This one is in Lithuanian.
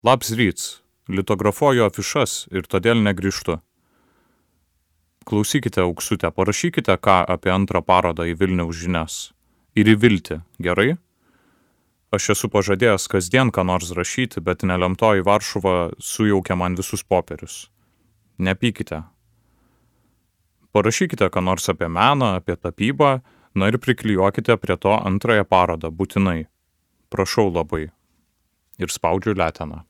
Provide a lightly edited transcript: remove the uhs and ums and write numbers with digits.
Labs ryts, litografuoju afišas ir todėl negrįžtu. Klausykite, Auksutė, parašykite ką apie antrą parodą į Vilniaus žinias. Ir į Viltį, gerai? Aš esu pažadėjęs kasdien ką nors rašyti, bet nelemtoji Varšuva sujaukė man visus popierius. Nepykite. Parašykite ką nors apie meną, apie tapybą, na ir priklijuokite prie to antrąją parodą, būtinai. Prašau labai. Ir spaudžiu leteną.